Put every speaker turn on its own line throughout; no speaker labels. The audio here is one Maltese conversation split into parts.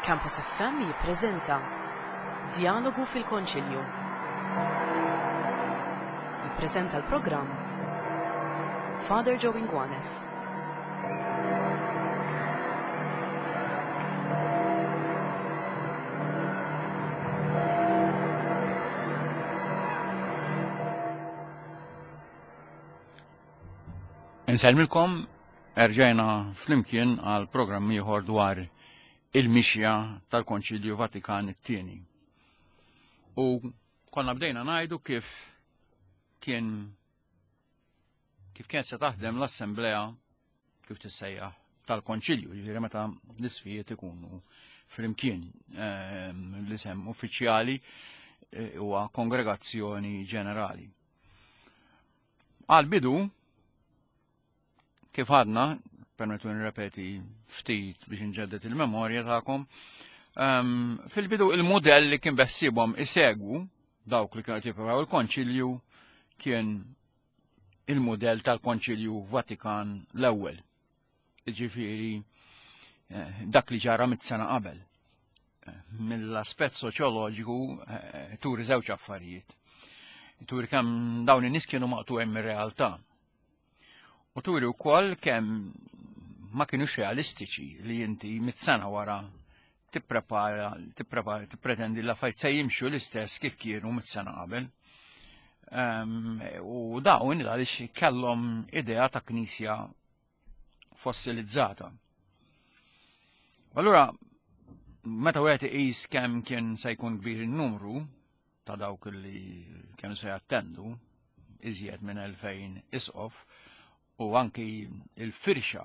Campus FM jippreżenta Djalogu fil-Konċilju. Jippreżenta l-programm Father Joe Inguanes.
Insellmilkom erġajna flimkien għal programm ieħor dwar il-mixja tal-Konċilju Vatikan it-tieni. U konna bdejna ngħidu kif kien kif kien se taħdem l-assemblea kif tissejjaħ tal-konċilju, jiġifieri meta l-isfijiet ikunu flimkien ehm, l-isem uffiċjali eh, huwa kongregazzjoni ġenerali. Għal bidu, kif għadna, permettu nirrepeti ftit biex nġeddet il-memorja tagħkom, ehm, fil-bidu il-modell li kien bessibhom isegwu dawk li kienu jippreparaw il-konċilju kien il-modell tal-Konċilju Vatikan l-ewwel. Ġifieri eh, dak li ġara mit-sena qabel. Eh, mill-aspett soċjoloġiku eh, turi żewġ affarijiet. Turi kemm dawn in-nies kienu maqtuegħin mir-realtà. U turi wkoll kemm ma kienux realistiċi li inti mit-sena wara tipprepara, tipprepara, tippretendi l-affarijiet se jimxu l-istess kif kienu mit-sena qabel. Ehm, u dawn għaliex kellhom idea ta' knisja fossilizzata. Allura, meta wieħed iqis kemm kien se jkun kbir in-numru ta' dawk li kienu se jattendu, iżjed minn 2000 isqof, u anki il-firxa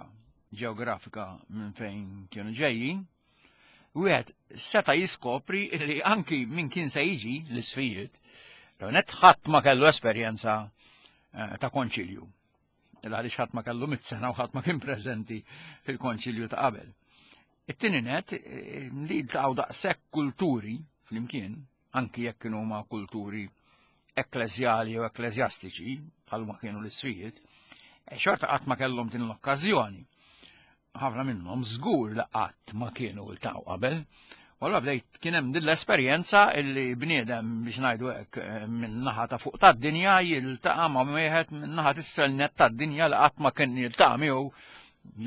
ġeografika minn fejn kienu ġejjin, wieħed seta' jiskopri li anki min kien se jiġi l-isfijiet, net ħadd ma kellu esperjenza eh, ta' konċilju. Għaliex ħadd ma kellu mit-sena u ħadd ma kien preżenti fil-konċilju ta' qabel. It-tieni net eh, li ltaqgħu daqshekk kulturi flimkien, anki jekk kienu ma' kulturi ekkleżjali jew ekkleżjastiċi, bħal ma kienu l-isfijiet, eh, xorta qatt ma kellhom din l-okkażjoni. Ħafna minnhom żgur li qatt ma kienu ltaqgħu qabel. U allura bdejt kien hemm din l-esperjenza illi bniedem biex ngħidu hekk eh, minn naħa ta' fuq tad-dinja jiltaqa' ma' wieħed minn naħa t'isfel net tad-dinja li qatt ma kien jiltaqa' miegħu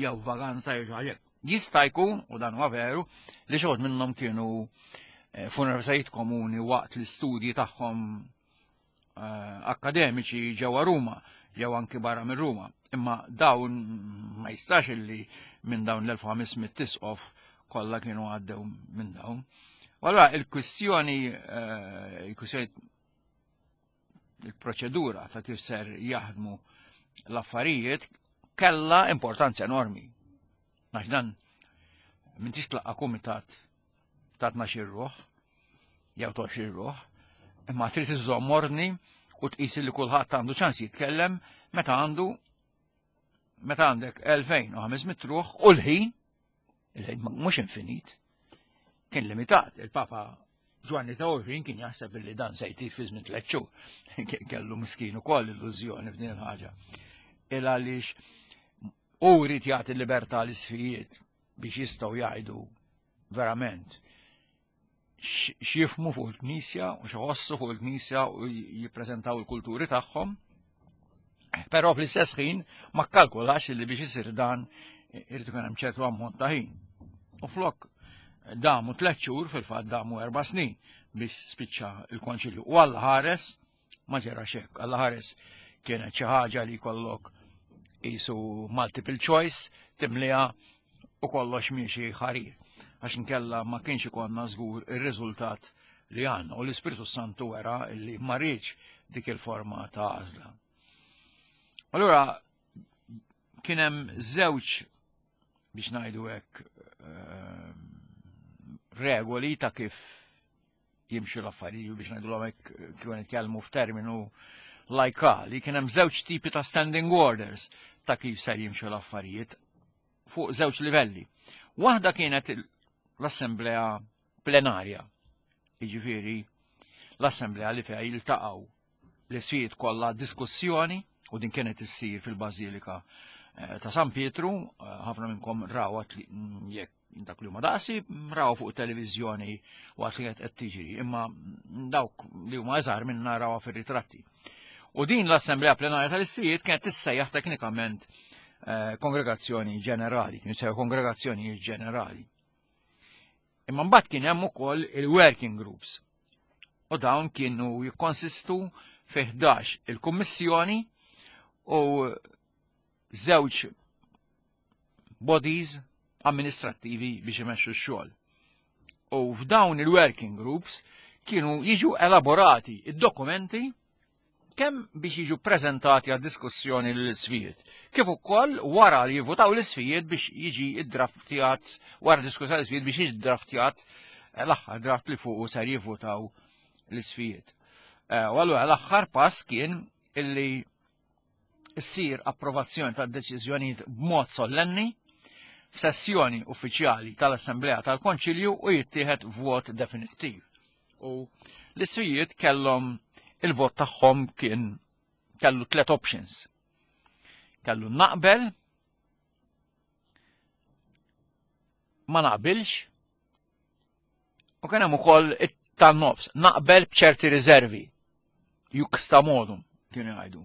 jew vaganza jew xi Jista' jkun, u dan huwa veru, li xi minnhom kienu eh, f'universitajiet komuni waqt l-istudji tagħhom eh, akademiċi ġewwa Ruma jew anki barra minn Ruma. Imma dawn ma jistax illi minn dawn l-1500 tisqof kollha kienu għaddew minn dawn. U allura il-kwistjoni eh, il-kwistjoni il-proċedura ta' kif ser jaħdmu l-affarijiet kella importanza enormi. Għax dan minn tix tlaqqa kumitat ta' 12 ruħ, jew 20 ruħ, imma trid iżżomm ordni u tqis li kulħadd għandu ċans jitkellem meta għandu meta għandek 2500 ruħ u l-ħin Il-ħin mhux infinit, kien limitat. Il-Papa Ġwanni ta' 20 kien jaħseb li dan se jtir fi żmien tliet xhur. Kellu miskin ukoll illużjoni f'din il-ħaġa. Il għaliex u jrid jagħti libertà l-isfijiet biex jistgħu jgħidu verament x'jifmu fuq il-Knisja u x'ħossu fuq il-Knisja u jippreżentaw il-kulturi tagħhom. Però fl-istess ħin ma kkalkulax li biex isir dan irid ikun hemm ċertu ammont ta' ħin. U flok damu tliet xhur fil-fatt damu erba' snin biex spiċċa il-konċilju. U Alla ħares Ma ġera xek, Alla ħares kienet xi ħaġa li jkollok qisu multiple choice timliha u kollox miexi ħarir. Għax inkella ma kienx ikollna żgur ir-riżultat li għandna u l-Ispirtu Santu wera li ma rridx dik il-forma ta' għażla. Allura kien hemm żewġ biex ngħidu hekk ehm, regoli ta' kif jimxu l-affarijiet biex ngħidulhom hekk kieku nitkellmu f'terminu lajkali, kien hemm żewġ tipi ta' standing orders ta' kif ser jimxu l-affarijiet fuq żewġ livelli. Waħda kienet l-assemblea plenarja, jiġifieri l-assemblea li fiha jiltaqgħu l-isfijiet kollha diskussjoni u din kienet issir fil-Bażilika eh, ta' San Pietru, eh, ħafna minnkom rawat li mm, jekk Dak li huma daqsi raw fuq televiżjoni waqt li qed tiġri, imma dawk li huma eżar minna rawha fir-ritratti. U din l-Assemblea Plenarja tal-Isfijiet kienet tissejjaħ teknikament eh, kongregazzjoni ġenerali, kien jissejjaħ kongregazzjoni ġenerali. Imma mbagħad kien hemm ukoll il-working groups. U dawn kienu jikkonsistu fi 11 il-kummissjoni u żewġ bodies amministrattivi biex imexxu x-xogħol. U f'dawn il-working groups kienu jiġu elaborati id-dokumenti kemm biex jiġu prezentati għad diskussjoni l-isfijiet, kif ukoll wara li jivutaw l-isfijiet biex jiġi iddraftjat, wara diskussjoni l-isfijiet biex jiġi draftjat eh, l-aħħar draft li fuqu ser jivutaw l-isfijiet. Eh, u allura l-aħħar pass kien illi ssir approvazzjoni tad-deċiżjonijiet b'mod sollenni f'sessjoni uffiċjali tal-Assemblea tal-Konċilju u jittieħed vot definittiv. U l-iswijiet kellhom il-vot tagħhom kien kellu tlet options. Kellu naqbel, ma naqbilx, u kien hemm ukoll it-tan-nofs, naqbel b'ċerti riservi. Juxta modum, kienu jgħidu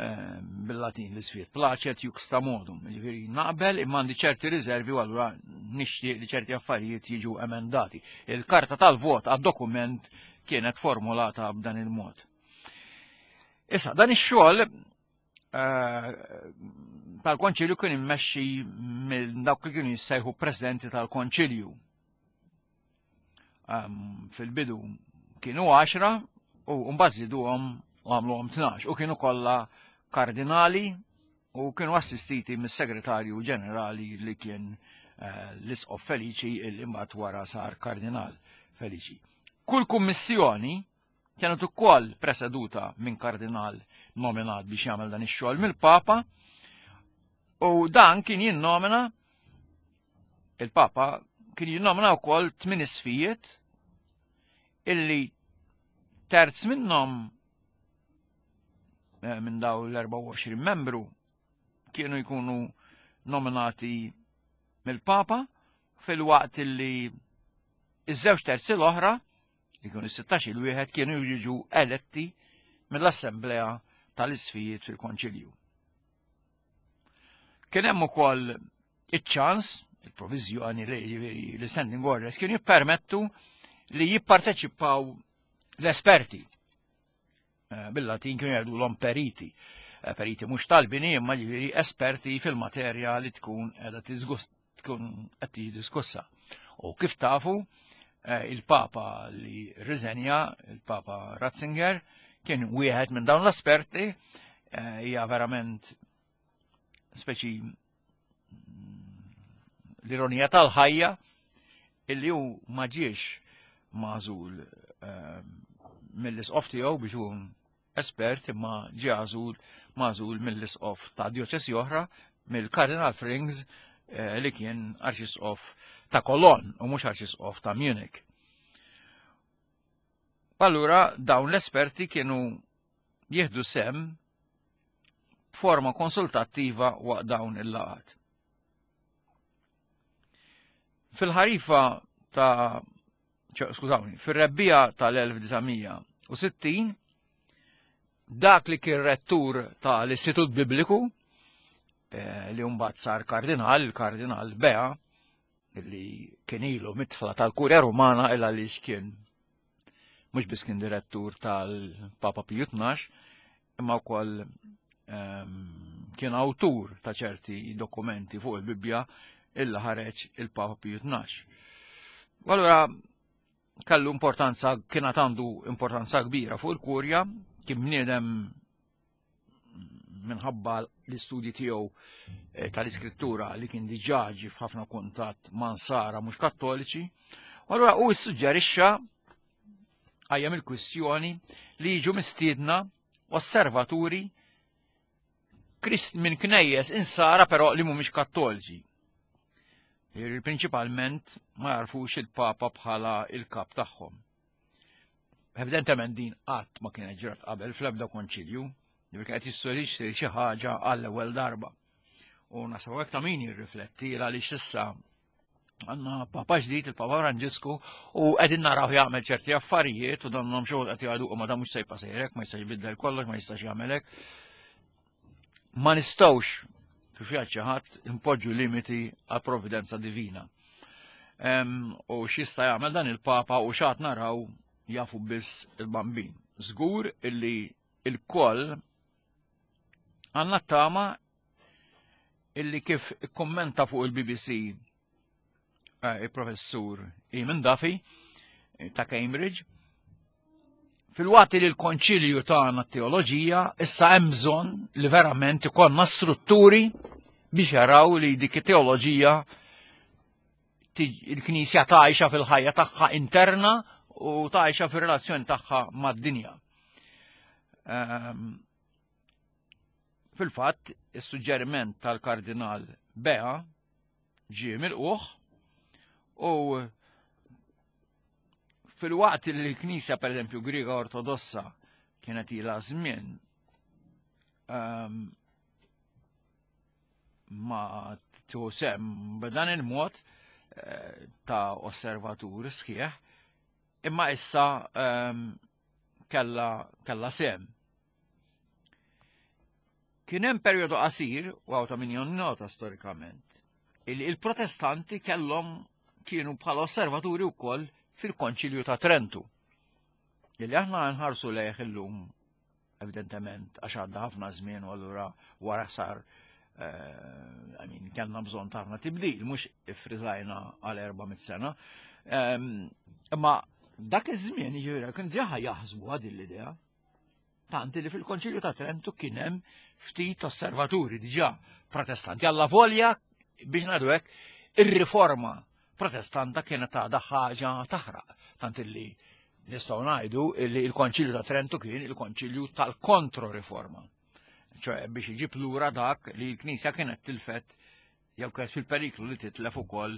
ehm, bil-Latin l-isfiet, placet juxta modum, jiġifieri naqbel imma għandi ċerti riservi u allura nixtieq li ċerti affarijiet jiġu emendati. Il-karta tal-vot għad-dokument kienet formulata b'dan il-mod. Issa, dan ix-xogħol eh, tal-konċilju kien immexxi minn dawk li kienu jissejħu presidenti tal-konċilju. Ehm, fil-bidu kienu 10 u mbagħad żiduhom u għamluhom 12 u kienu kollha kardinali u kienu assistiti mis-segretarju ġenerali li kien eh, l-isqof Feliċi illi mbagħad wara sar kardinal Feliċi. Kull kummissjoni kienet ukoll preseduta minn kardinal nominat biex jagħmel dan ix-xogħol mill-Papa u dan kien jinnomina il-Papa kien jinnomina wkoll tmien isfijiet illi terz minnhom eh, minn daw l-24 membru kienu jkunu nominati mill-Papa fil-waqt illi iż-żewġ terzi l-oħra li kienu 16 il wieħed kienu jiġu eletti mill-Assemblea tal-Isfijiet fil-Konċilju. Kien hemm ukoll iċ-ċans, il-proviżjoni li l-standing orders kienu jippermettu li jipparteċipaw l-esperti. Eh, bil-Latin kienu jgħidu l periti. Eh, periti mhux tal-bini imma ġifieri esperti fil-materja li tkun qiegħda tkun qed tiġi diskussa. U kif tafu, eh, il-Papa li riżenja, il-Papa Ratzinger, kien wieħed minn dawn l-esperti, hija verament speċi l-ironija tal-ħajja illi hu ma ġiex magħżul ehm, mill-isqof tiegħu biex hu espert imma ġie għażul magħżul mill-isqof ta' djoċesi oħra mill-Kardinal Frings eh, li kien arċisqof ta' Cologne u mhux arċisqof ta' Munich. Allura dawn l-esperti kienu jieħdu sem b'forma konsultattiva waqt dawn il-laqat. Fil-ħarifa ta' skużawni, fir-rebbija tal-1960 dak li kien rettur tal-Istitut Bibliku eh, li mbagħad sar kardinal, il-kardinal Bea, li kien ilu mitħla tal-Kurja Rumana illa li kien mhux biss kien direttur tal-Papa Piju 12, imma wkoll ehm, kien awtur ta' ċerti dokumenti fuq il-Bibbja illa ħareġ il-Papa Piju 12. Allura kellu importanza, kien għandu importanza kbira fuq il-kurja, kien bniedem minħabba l-istudji tiegħu eh, tal-iskrittura li kien diġà ġie f'ħafna kuntatt ma' nsara mhux kattoliċi. Allura hu ssuġġerixxa għajjem il-kwistjoni li jiġu mistiedna osservaturi minn knejjes insara però li mhumiex kattoliċi. Prinċipalment ma jarfux il-Papa bħala il-kap tagħhom. Evidentement din qatt ma kienet ġrat qabel fl-ebda konċilju, li kienet jissorixxi xi ħaġa għall-ewwel darba. U nasaw hekk ta' min jirrifletti għaliex issa Għandna Papa ġdid, il-Papa Franġisku, u qegħdin naraw jagħmel ċerti affarijiet u donhom xogħol qed jgħidu ma dan mhux se jibqa' sejrek, ma jistax jbiddel kollox, ma jistax jagħmel hekk. Ma nistgħux kif jgħid xi ħadd impoġġu limiti għal provvidenza divina. U x'jista' jagħmel dan il-Papa u x'għad naraw jafu biss il-bambin. Żgur illi il-koll għandna tama illi kif kommenta fuq il-BBC eh, il-professur Eamon Duffy eh, ta' Cambridge, fil-waqt li l-konċilju tagħna teoloġija issa hemm bżonn li verament ikollna strutturi biex jaraw li dik it-teoloġija il-Knisja tgħixha fil-ħajja tagħha interna u tgħixha fir-relazzjoni tagħha mad-dinja. Ehm, fil-fatt, is-suġġeriment tal-Kardinal Bea ġie milquh u fil-waqt li l-Knisja pereżempju Griega Ortodossa kienet ilha żmien ehm, ma tieħu sem b'dan il-mod eh, ta' osservatur sħiħ, imma issa ehm, kella kella sem. Kien hemm perjodu qasir, u għaw ta' min jonnota storikament, il-protestanti kellhom kienu bħala osservaturi wkoll fil-Konċilju ta' Trentu. Illi aħna nħarsu lejh illum evidentement għax għadda ħafna żmien u allura wara sar eh, I mean, kellna bżonn ta' ħafna tibdil, mhux ifriżajna għal 400 sena. Ehm, imma dak iż-żmien jiġifieri kien diġà jaħsbu din l-idea. Tanti li fil-Konċilju ta' Trentu kien hemm ftit osservaturi diġà protestanti. Alla volja biex ngħidu hekk ir-riforma protestanta kienet għadha ħaġa taħraq. Tant illi nistgħu ngħidu li l-Konċilju ta' Trentu kien il-Konċilju tal-Kontroriforma. ċoħe biex iġib lura dak li l-Knisja kienet tilfet jew kienet fil-periklu li titlef ukoll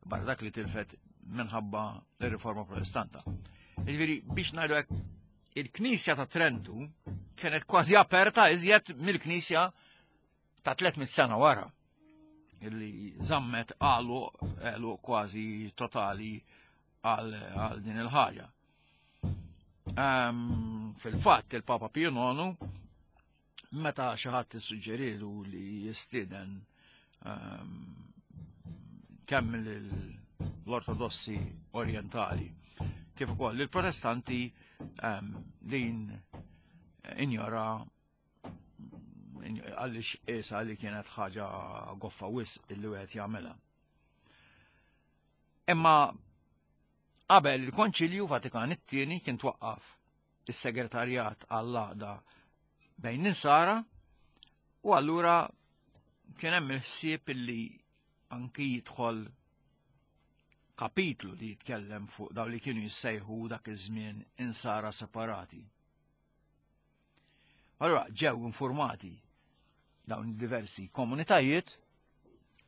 barra dak li tilfet minħabba ir-riforma protestanta. Jiġifieri biex ngħidu hekk il-Knisja ta' Trentu kienet kważi aperta iżjed mill-Knisja ta' 300 sena wara illi zammet għalu għalu kważi totali għal din il-ħaġa. Um, Fil-fatt il-Papa Pio IX meta xi ħadd issuġġerilu li jistieden um, kemm l-Ortodossi Orientali kif ukoll il-Protestanti um, din injora għaliex qiesha li kienet ħaġa goffa wisq illi wieħed jagħmilha. Imma qabel il-Konċilju Vatikan it-tieni kien twaqqaf is-segretarjat għall-għaqda bejn l-insara u allura kien hemm il-ħsieb illi anki jidħol kapitlu li jitkellem fuq daw li kienu jissejħu dak iż-żmien insara separati. Allura ġew informati dawn diversi komunitajiet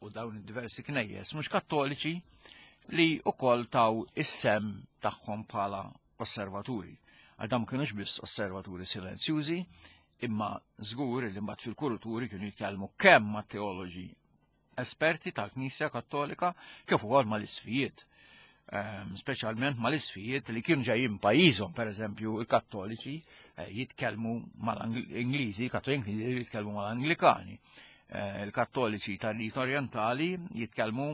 u dawn diversi knejjes mhux kattoliċi li wkoll taw is-sem tagħhom bħala osservaturi. Għal dawn kienux biss osservaturi silenzjużi, imma żgur li mbagħad fil-kuruturi kienu jitkellmu kemm ma' teoloġi esperti tal-Knisja Kattolika kif ukoll mal-isfijiet. Ehm, speċjalment mal-isfijiet li kienu ġejjin pajjiżhom, pereżempju il-Kattoliċi eh, jitkellmu mal-Ingliżi, Kattoliċi jitkellmu mal-Anglikani. Eh, il-Kattoliċi tal-Rit Orientali jitkellmu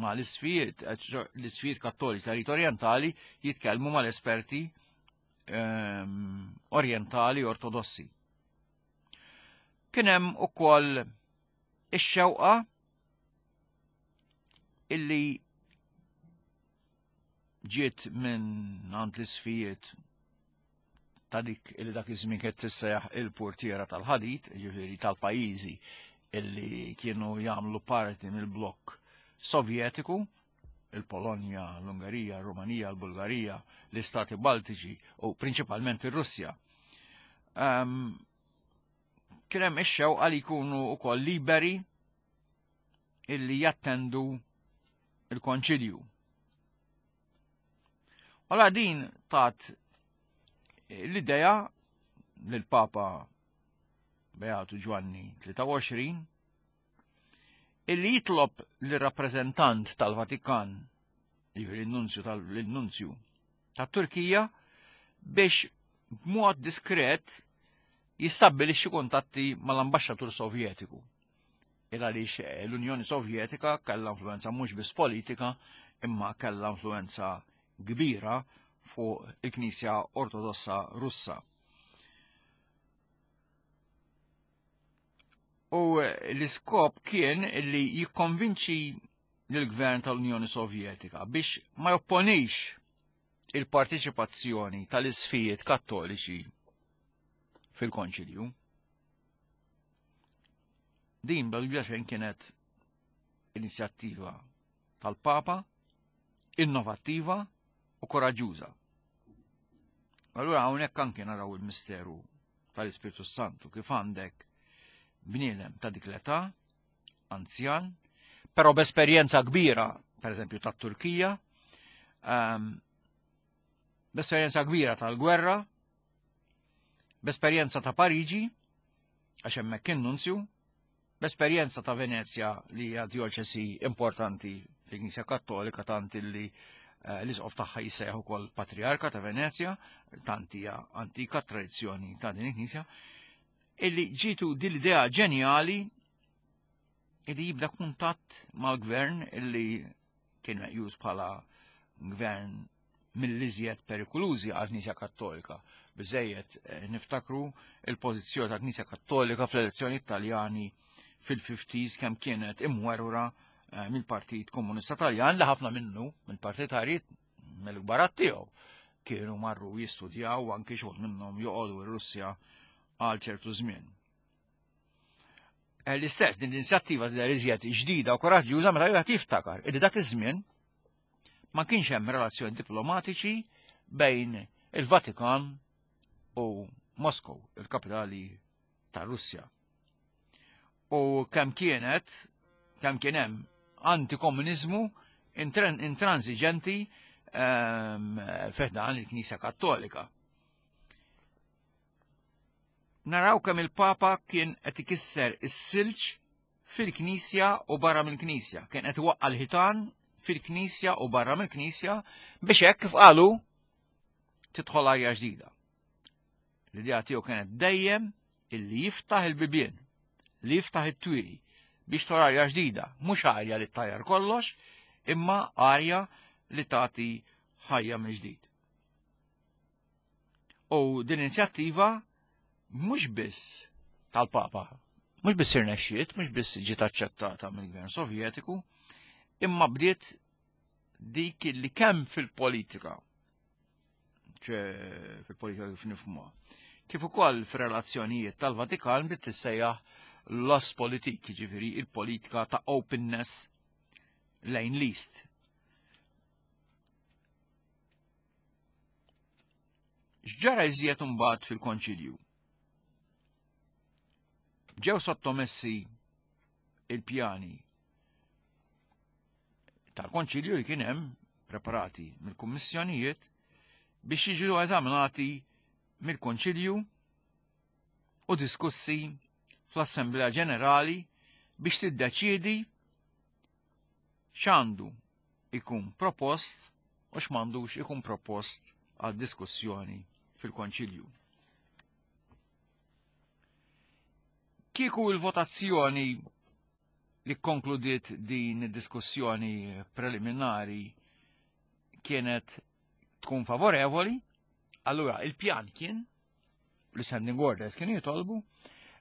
mal-isfijiet, eh, l-isfijiet kattoliċi tal-Rit Orientali jitkellmu mal-esperti ehm, orientali ortodossi. Kien hemm ukoll ix-xewqa illi ġiet minn għand l-isfijiet ta' dik illi dak iż-żmien kienet tissejjaħ il-portiera tal-ħadid, ġifieri tal-pajjiżi illi kienu jagħmlu parti mill-blokk Sovjetiku, il-Polonja, l-Ungerija, l-Rumanija, l-Bulgarija, l-Istati Baltiċi u prinċipalment ir-Russja. Um, Kien hemm ix-xewqa li jkunu wkoll liberi illi jattendu il-konċilju. Għala din tat l-idea lill-Papa Beatu Ġwanni 23. Illi jitlob lir-rappreżentant tal-Vatikan, jiġifieri n-nunzju tal-nunzju tat-Turkija, biex b'mod diskret jistabbilixxi kuntatti mal-ambaxxatur Sovjetiku. Il għaliex eh, l-Unjoni Sovjetika kellha influenza mhux biss politika, imma kellha influenza kbira fuq il-Knisja Ortodossa Russa. U l-iskop kien li jikkonvinċi lill-gvern tal-Unjoni Sovjetika biex ma jopponix il-parteċipazzjoni tal-isfijiet kattoliċi fil-konċilju. Din bla dubju xejn kienet inizjattiva tal-Papa, innovattiva u koraġġuża. Allura hawnhekk anke naraw il-misteru tal-Ispirtu Santu kif għandek bniedem ta' dik l-età, anzjan, però b'esperjenza kbira, per eżempju tat-Turkija, um, b'esperjenza kbira tal-gwerra, b'esperjenza ta' Pariġi, għax hemmhekk kien nunzju, b'esperjenza ta' Venezja li hija djoċesi importanti fil-Knisja Kattolika tant illi eh, l-isqof tagħha jissejjaħ ukoll Patriarka ta' Venezja, tant hija antika tradizzjoni ta' din il-Knisja, illi ġitu din l-idea ġenjali illi jibda kuntatt mal-gvern illi kien meqjus bħala gvern mill-iżjed perikolużi għal Knisja Kattolika. Biżejjed eh, niftakru il-pożizzjoni ta' Knisja Kattolika fl-elezzjoni Taljani fil-50s kemm kienet imwerwra eh, mill-Partit Komunista Taljan li ħafna minnu mill-partitarji mill-kbarat tiegħu kienu marru jistudjaw anki xogħol minnhom joqogħdu r-Russja għal ċertu żmien. Eh, l-istess din l-inizjattiva tidher iżjed ġdida u koraġġjuża meta wieħed jiftakar illi dak iż-żmien ma kienx hemm relazzjoni diplomatiċi bejn il-Vatikan u Moskow, il-kapitali ta' Russja. U kemm kienet, kemm kien hemm antikomuniżmu intransiġenti ehm, f'dan il-Knisja Kattolika. Naraw kemm il-Papa kien qed ikisser is-silġ fil-Knisja u barra mill-Knisja, kien qed iwaqqa' l-ħitan fil-Knisja u barra mill-Knisja biex hekk kif qalu tidħol arja ġdida. L-idea tiegħu kienet dejjem illi jiftaħ il-bibien, li jiftaħ it-twieqi biex tor arja ġdida, mhux arja li ttajjar kollox, imma arja li tagħti ħajja mill-ġdid. U din inizjattiva mhux biss tal-Papa, mhux biss irnexxiet, mhux biss ġiet aċċettata mill-Gvern Sovjetiku, imma bdiet dik li kemm fil-politika, ċe fil-politika kif nifhmuha, kif ukoll fir-relazzjonijiet tal-Vatikan bdiet tissejjaħ l-Ostpolitik, jiġifieri il-politika ta' openness lejn l-East. X'ġara iżjed imbagħad fil-Konċilju? Ġew sottomessi il-pjani tal-Konċilju li kien hemm preparati mill-kummissjonijiet biex jiġu eżaminati mill-Konċilju u diskussi fl-Assemblea Ġenerali biex tiddeċiedi x'għandu ikun propost u x'm'għandux ikun propost għal diskussjoni fil-Konċilju. Kieku il-votazzjoni li konkludiet din id-diskussjoni preliminari kienet tkun favorevoli, allura il-pjan kien li standing orders kien jitolbu,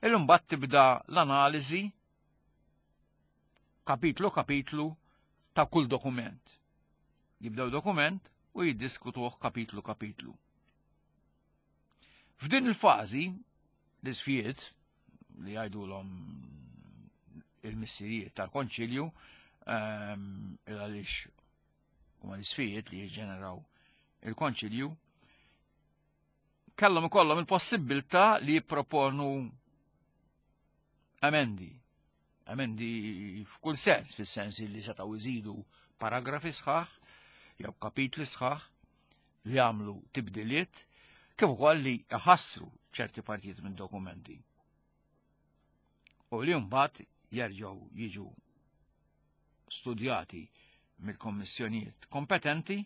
illum bat tibda l-analiżi kapitlu kapitlu ta' kull dokument. Jibdew dokument u jiddiskutuh kapitlu kapitlu. F'din il-fażi, l-isfijiet li jgħidulhom il-missirijiet tal-konċilju, ehm, għaliex huma l-isfijiet li jiġġeneraw il-konċilju, kellhom ikollhom il-possibilità li jipproponu emendi. Emendi f'kull sens, fis-sens li setgħu jżidu paragrafi sħaħ jew kapitli sħaħ li jagħmlu tibdiliet kif ukoll li jħassru ċerti partijiet minn dokumenti. U li mbagħad jerġgħu jiġu studjati mill-kommissjonijiet kompetenti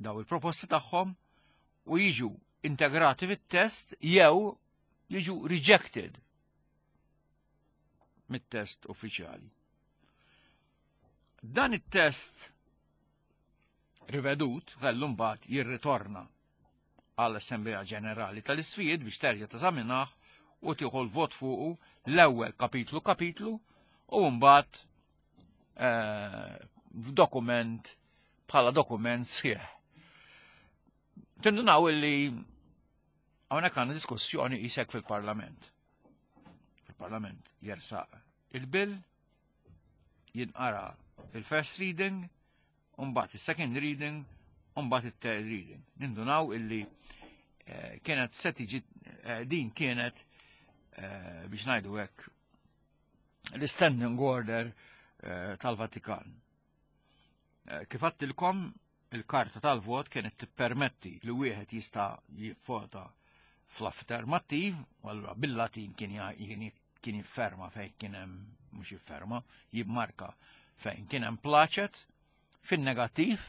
daw il-proposti tagħhom u jiġu integrati fit-test jew jiġu rejected mit-test uffiċjali. Dan it-test rivedut kellu mbagħad jirritorna għall-Assemblea Ġenerali tal-Isfijiet biex terġa' teżaminah u tieħu l-vot fuqu l-ewwel kapitlu kapitlu u mbagħad eh, f'dokument bħala dokument sħiħ. Tindunaw illi hawnhekk għandna diskussjoni isek fil-Parlament. Il-Parlament jersaq il-bill, jinqara il-first reading, Umbagħad is-second reading, umbagħad it-third reading. Nindunaw illi eh, kienet se tiġi eh, din kienet eh, biex ngħidu hekk l-standing order tal-Vatikan. Kif għattilkom il-karta tal-vot kienet tippermetti li wieħed jista' jivvota fl-affermattiv, u allura bil-Latin kien kien jifferma fejn kien hemm mhux jifferma, jimmarka fejn kien hemm plaċet fin-negattiv,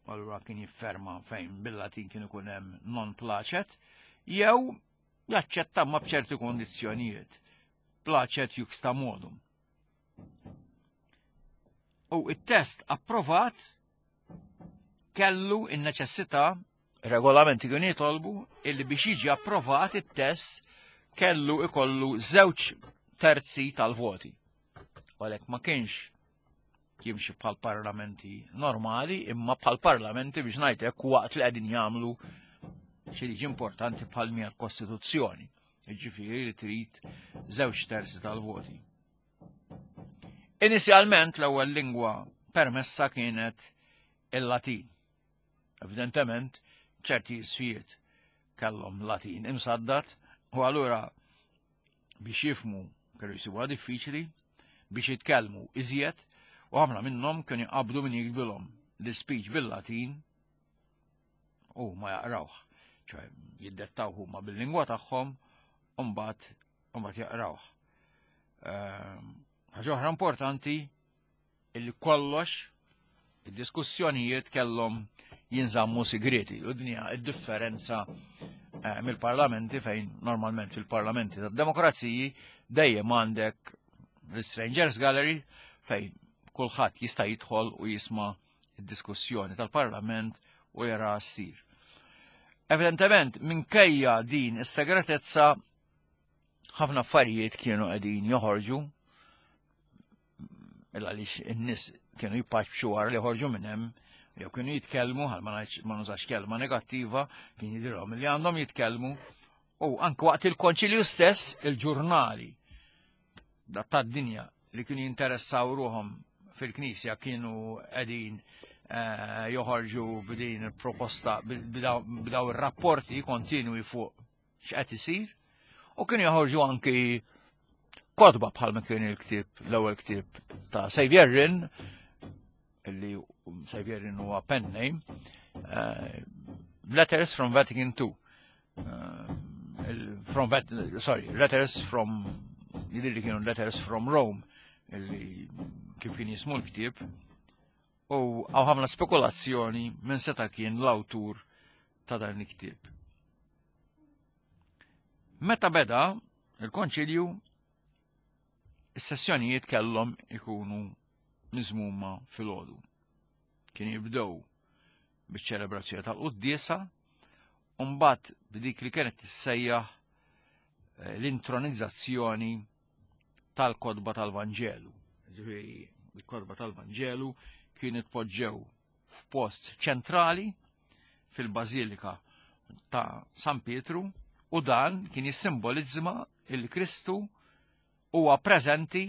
allura kien jifferma fejn bil-Latin kien ikun hemm non placet, jew jaċċetta ma b'ċerti kondizzjonijiet. Placet juxta modum. U it-test approvat kellu in-neċessità regolamenti kienu jitolbu illi biex jiġi approvat it-test kellu ikollu żewġ terzi tal-voti. Għalhekk ma kienx jimxi bħal parlamenti normali, imma bħal parlamenti biex ngħidlek waqt li qegħdin jagħmlu xi liġi importanti bħal mija l-Kostituzzjoni. Jiġifieri li trid żewġ terzi tal-voti. Inizjalment l-ewwel lingwa permessa kienet il-Latin. Evidentement, ċerti isfijiet kellhom Latin imsaddat u allura biex jifmu kellu jsibuha diffiċli biex jitkellmu iżjed u ħafna minnhom kienu jqabdu min jikbilhom l-speech bil-Latin u ma jaqrawh, ċoħe jiddettaw huma bil-lingwa tagħhom u mbagħad mbagħad jaqrawh. Ehm, ħaġa oħra importanti illi kollox id-diskussjonijiet kellhom jinżammu sigreti. U dinja id-differenza eh, mill-parlamenti fejn normalment fil-parlamenti tad-demokraziji dejjem għandek l-Strangers Gallery fejn kulħadd jista' jidħol u jisma' id-diskussjoni tal-parlament u jara ssir. Evidentement, minkejja din is-segretezza ħafna affarijiet kienu qegħdin joħorġu illa għaliex in-nies kienu jippaċċu wara li ħorġu minn hemm jew kienu jitkellmu għal ma nużax kelma negattiva kien jidhirhom li għandhom jitkellmu u anke waqt il-konċilju stess il-ġurnali tad-dinja li kienu jinteressaw ruhom fil-knisja kienu qegħdin eh, joħorġu b'din il-proposta b'daw ir-rapporti kontinwi fuq x'qed isir u kienu joħorġu anki kotba bħal ma kien il-ktieb l-ewwel ktieb ta' Xavier Rin illi Xavier Rin huwa pen name uh, Letters from Vatican II uh, from Vat sorry Letters from jidher li kienu Letters from Rome illi kif kien jismu l-ktieb u għaw ħafna spekulazzjoni minn seta kien l-awtur ta' dan il-ktieb. Meta beda il-konċilju, is-sessjonijiet kellhom ikunu miżmuma fil-ħodu. Kien jibdew biċ-ċelebrazzjoni tal-quddiesa u mbagħad b'dik li kienet tissejjaħ eh, l-intronizzazzjoni tal-kodba tal-Vanġelu. Ġifieri, il-kodba tal-Vanġelu kienu tpoġġew f'post ċentrali fil-Bażilika ta' San Pietru u dan kien jissimbolizma il-Kristu huwa preżenti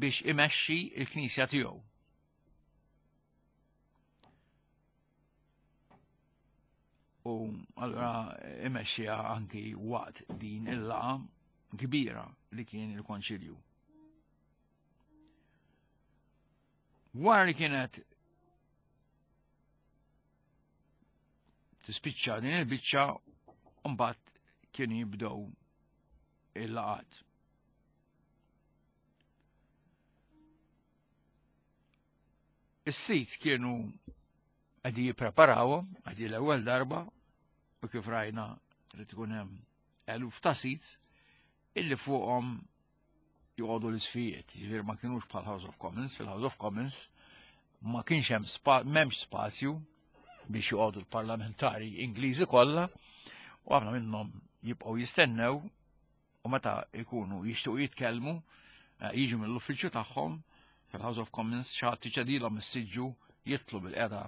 biex imexxi il-Knisja tiegħu. U allura imexxija anki waqt din il-laqa kbira li kien il-Konċilju. Wara li kienet tispiċċa din il-biċċa mbagħad kienu jibdew il-laqat. Is-seats kienu qegħdin jippreparawhom, għadi l-ewwel darba, u kif rajna li tkun hemm eluf ta' seats illi fuqhom joqogħdu l-isfijiet, jiġifieri ma kinux bħal House of Commons, fil-House of Commons ma kienx hemm m'hemmx spazju biex joqogħdu l-parlamentari Ingliżi kollha u ħafna minnhom jibqgħu jistennew u meta jkunu jixtiequ jitkellmu eh, jiġu mill-uffiċċju tagħhom fil-House of Commons xi ħadd iċedilhom is-siġġu jitlu bil-qeda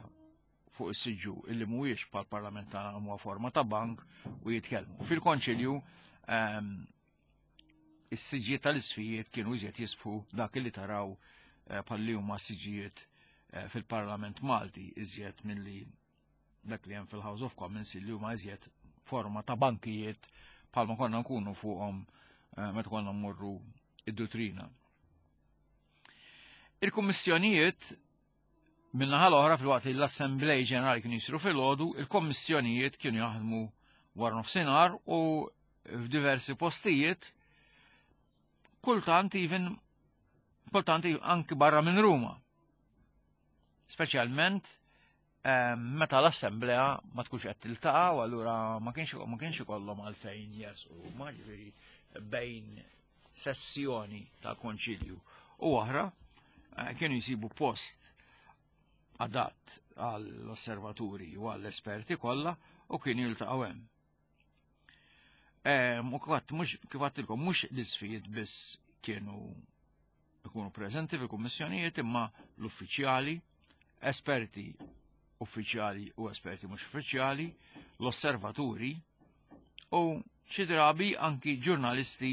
fuq is-siġġu illi mhuwiex bħal parlament tagħna huwa forma ta' bank u jitkellmu. Fil-konċilju ehm, is-siġġijiet tal-isfijiet kienu iżjed jisbħu dak li taraw eh, bħal huma siġġijiet eh, fil-Parlament Malti iżjed milli dak li hemm fil-House of Commons li huma iżjed forma ta' bankijiet bħalma konna nkunu fuqhom eh, meta konna mmorru id-dutrina. Il-kummissjonijiet Min-naħa l-oħra filwaqt li l-Assemblej Ġenerali kienu jisiru filgħodu, il-kommissjonijiet kienu jaħdmu wara nofsinhar u f'diversi postijiet kultant even kultant anki barra minn Ruma. Speċjalment eh, meta l-assemblea ma tkunx qed tiltaqa' u allura ma kienx ma kienx ikollhom għalfejn jersqu Ruma, ġifieri bejn sessjoni tal-konċilju u oħra eh, kienu jsibu post adatt għall-osservaturi u għall-esperti kollha u kienu jiltaqgħu hemm. Eh, u kif mhux kif għattilkom mhux l-isfijiet biss kienu ikunu preżenti fil-kummissjonijiet imma l-uffiċjali, esperti uffiċjali u esperti mhux uffiċjali, l-osservaturi u xi drabi anki ġurnalisti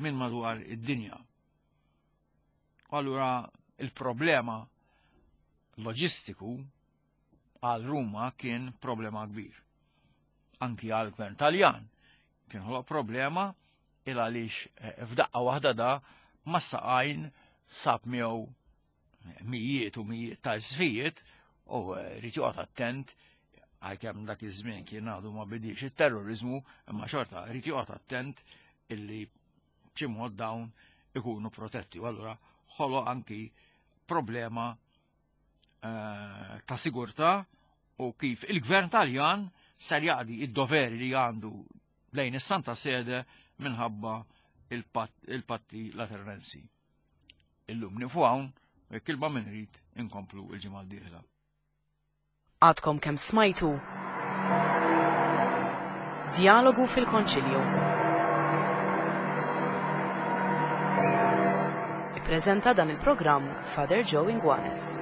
minn madwar id-dinja. Allura il-problema loġistiku għal Ruma kien problema kbir. Anki għal gvern Taljan kien ħoloq problema il għaliex eh, f'daqqa waħda da ma saqajn sab miegħu mijiet u mijiet ta' isfijiet u eh, rrid joqgħod attent għalkemm dak iż-żmien kien għadu ma bidix it-terrorizmu, imma xorta rrid joqgħod attent illi b'xi mod dawn ikunu protetti. U allura ħoloq anki problema eh, ta' sigurtà u kif il-gvern Taljan ser jaqdi id-doveri li għandu lejn is-Santa Sede minħabba il-patti lateranensi. Illum nifu hawn u jekk il min irid inkomplu il-ġimgħa d-dieħla.
Għadkom kemm smajtu Djalogu fil-Konċilju. Ippreżenta dan il-programm Father Joe Inguanes.